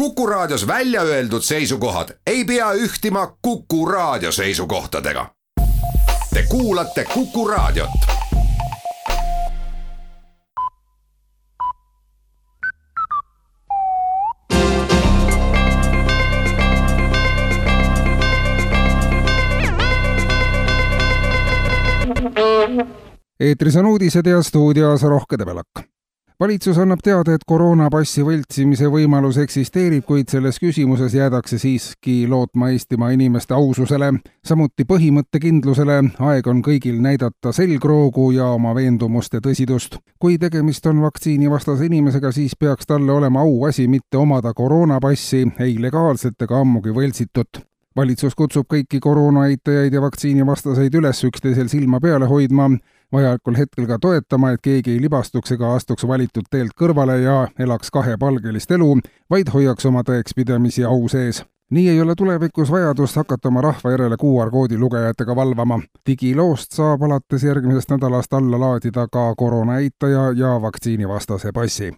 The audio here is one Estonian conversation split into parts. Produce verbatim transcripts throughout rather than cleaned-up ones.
Kuku Raadios välja öeldud seisukohad ei pea ühtima Kuku Raadio seisukohtadega. Te kuulate Kuku Raadiot. Eetris on uudised ja stuudios Rohke Debelak. Valitsus annab teada, et koroonapassi võltsimise võimalus eksisteerib, kuid selles küsimuses jäädakse siiski lootma Eestimaa inimeste aususele, samuti põhimõttekindlusele. Aeg on kõigil näidata selgroogu ja oma veendumuste tõsidust. Kui tegemist on vaktsiinivastase inimesega, siis peaks talle olema auasi mitte omada koroonapassi, ei legaalset ega ammugi võltsitut. Valitsus kutsub kõiki koroonaeitajaid ja vaktsiinivastaseid üles üksteisel silma peale hoidma, vajalikul hetkel ka toetama, et keegi ei libastuks ega astuks valitud teelt kõrvale ja elaks kahepalgelist elu, vaid hoiaks oma tõekspidamisi au sees. Nii ei ole tulevikus vajadust hakata oma rahva järele Q R-koodi lugejatega valvama. Digiloost saab alates järgmisest nädalast alla laadida ka koroonaeitaja ja vaktsiinivastase passi.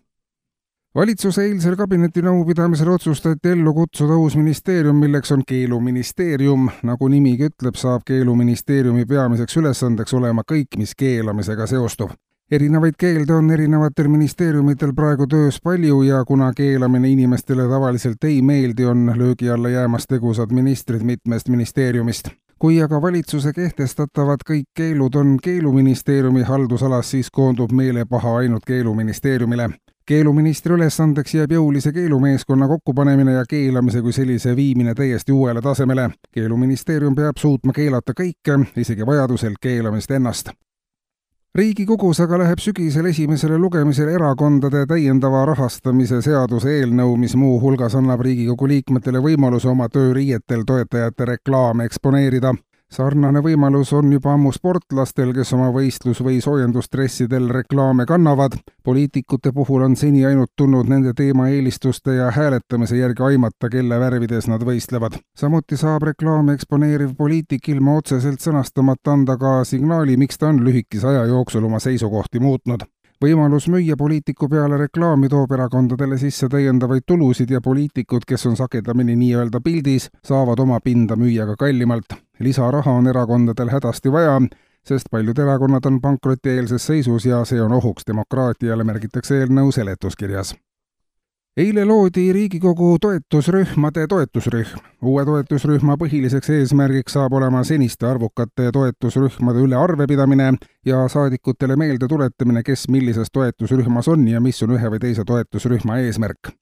Valitsuse eilsel kabinetinõupidamisel otsustati ellu kutsuda uus ministeerium, milleks on Keeluministeerium. Nagu nimigi ütleb, saab Keeluministeeriumi peamiseks ülesandeks olema kõik, mis keelamisega seostub. Erinevaid keelde on erinevatel ministeeriumitel praegu töös palju ja kuna keelamine inimestele tavaliselt ei meeldi, on löögi alla jäämas tegusad ministrid mitmest ministeeriumist. Kui aga valitsuse kehtestatavad kõik keelud on Keeluministeeriumi haldusalas, siis koondub meelepaha ainult Keeluministeeriumile. Keeluministri ülesandeks jääb jõulise keelumeeskonna kokkupanemine ja keelamise kui sellise viimine täiesti uuele tasemele. Keeluministeerium peab suutma keelata kõike, isegi vajadusel keelamist ennast. Riigikogus aga läheb sügisel esimesele lugemisele erakondade täiendava rahastamise seaduse eelnõu, mis muu hulgas annab Riigikogu liikmetele võimaluse oma tööriietel toetajate reklaame eksponeerida. Sarnane võimalus on juba ammu sportlastel, kes oma võistlus- või soojendustressidel reklaame kannavad. Poliitikute puhul on seni ainult tulnud nende teema eelistuste ja hääletamise järgi aimata, kelle värvides nad võistlevad. Samuti saab reklaame eksponeeriv poliitik ilma otseselt sõnastamata anda ka signaali, miks ta on lühikese aja jooksul oma seisukohti muutnud. Võimalus müüa poliitiku peale reklaami toob erakondadele sisse täiendavaid tulusid ja poliitikud, kes on sagedamini nii-öelda pildis, saavad oma pinda müüa ka kallimalt. Lisaraha on erakondadel hädasti vaja, sest paljud erakonnad on pankrotieelses seisus ja see on ohuks demokraatiale, märgitakse eelnõu seletuskirjas. Eile loodi Riigikogu toetusrühmade toetusrühm. Uue toetusrühma põhiliseks eesmärgiks saab olema seniste arvukate toetusrühmade üle arvepidamine ja saadikutele meelde tuletamine, kes millises toetusrühmas on ja mis on ühe või teise toetusrühma eesmärk.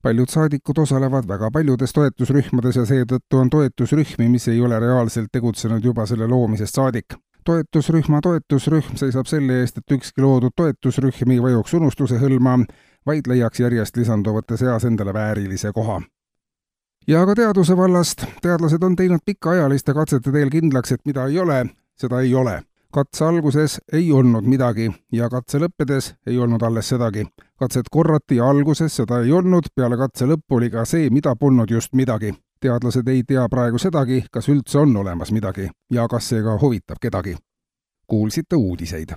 Paljud saadikud osalevad väga paljudes toetusrühmades ja seetõttu on toetusrühmi, mis ei ole reaalselt tegutsenud juba selle loomisest saadik. Toetusrühma toetusrühm seisab selle eest, et ükski loodud toetusrühm ei vajuks unustuse hõlma, vaid leiaks järjest lisanduvate seas endale väärilise koha. Ja ka teaduse vallast. Teadlased on teinud pikaajaliste katsete teel kindlaks, et mida ei ole, seda ei ole. Katse alguses ei olnud midagi ja katse lõppedes ei olnud alles sedagi. Katset korrati ja alguses seda ei olnud, peale katse lõppu oli ka see, mida polnud just midagi. Teadlased ei tea praegu sedagi, kas üldse on olemas midagi ja kas see ka huvitab kedagi. Kuulsite uudiseid.